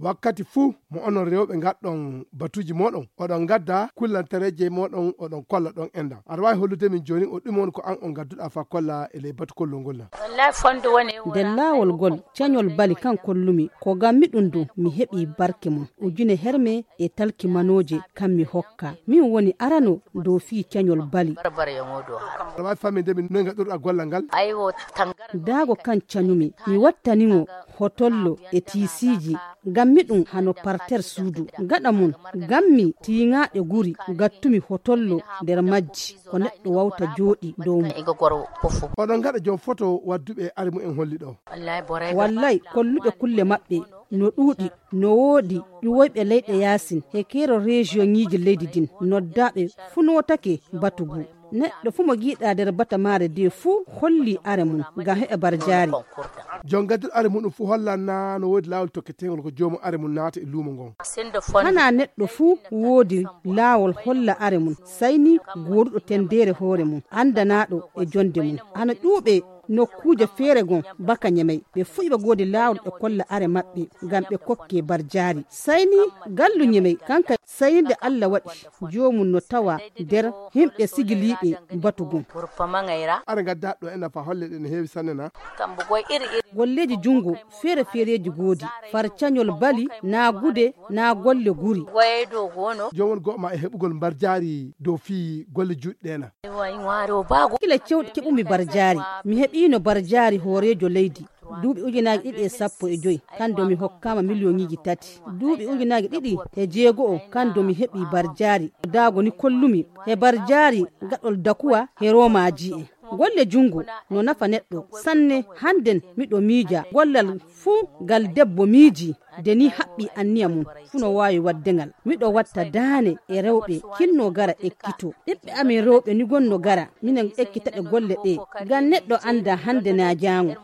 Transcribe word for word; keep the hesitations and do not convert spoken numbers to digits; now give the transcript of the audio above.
Wakkati fuu mo onon rewɓe ngaɗɗon batuuji mooɗon, oɗon ngadda kullantereeje mooɗon, oɗon kolla ɗon enɗam. Aɗa waawi hollude min jooni o ɗume woni ko an on ngadduɗaa faa kolla e ley batu kollol ngol na? Nder laawol ngol, cañol bali kan kollumi, ko ngam mi ɗum ɗum mi heɓi barke mum. Ujune herme e talki manooje kan mi hokka. Min woni arano dow fii cañol bali. Aɗa waawi faaminde min noy ngaɗirɗaa gollal ngal? Daago kan cañumi, mi wattani mo hotollo e tiisiiji, ngam mi ɗum hano parter suudu. Gaɗa mum, gammi tiiŋaaɗe guri, gattumi hotollo nder majji, ko neɗɗo wawta jooɗi dow mum. Oɗon ngaɗa joom foto wadduɓe are mumen holli ɗo? Wallay, kolluɓe kulle maɓɓe no ɗuuɗi, no woodi ƴuwoyɓe leyɗe yaasin, he keero rejiyoŋiiji leydi din, noddaaɓe fuu nootake batu ngu. Neɗɗo fuu mo giiɗaa nder batamaare de fuu holli are mum, ngam heɓa barjaari. Joom gadduɗo are muɗum fuu hollan naa no woodi laawol tokketeengol ko joomum are mum naata e luumo ngon. Hanaa neɗɗo fuu woodi laawol holla are mum, sayni gooduɗo tendeere hoore mum, anndanaaɗo e jonde mum. Ana ƴuuɓe nokkuuje feere gon baka Ñemey, ɓe fuu iɓe goodi laawol ɓe kolla are maɓɓe, ngam ɓe kokke barjaari. Sayni gallu Ñemey, kanka sayni nde Alla waɗi joomum no tawa nder himɓe sigiliiɓe batu gon. Are ngadda ɗo ena fa holle ɗe no heewi sanne na? Golleeji junngo feere-feereeji goodi, far cañol bali, naa gude, naa golle guri. Joomum go'o ma e heɓugol barjaari dow fii golle juuɗe ɗe na? Kila cewɗi keɓumi barjaari, mi heɓiino barjaari hooreejo leydi. Duuɓi ujunaaji ɗiɗi e sappo e joy, kan do mi hokkaama miliyoŋiiji tati. Duuɓi ujunaaji ɗiɗi e jeego'o, kan do mi heɓi barjaari. Daago ni kollumi, he barjaari gaɗol dakuwa he roomaaji en. Golle junngo no nafa neɗɗo sanne. Hannden miɗo miija gollal fuu ngal debbo miiji, de ni haɓɓi anniya mum fuu no waawi waɗde ngal. Miɗo watta daane e rewɓe kinno gara ekkito. Ɓiɓɓe amin rewɓe ni gonno gara, minen ekkitaɓe golle ɗe. Ngam neɗɗo annda hannde naa jaango.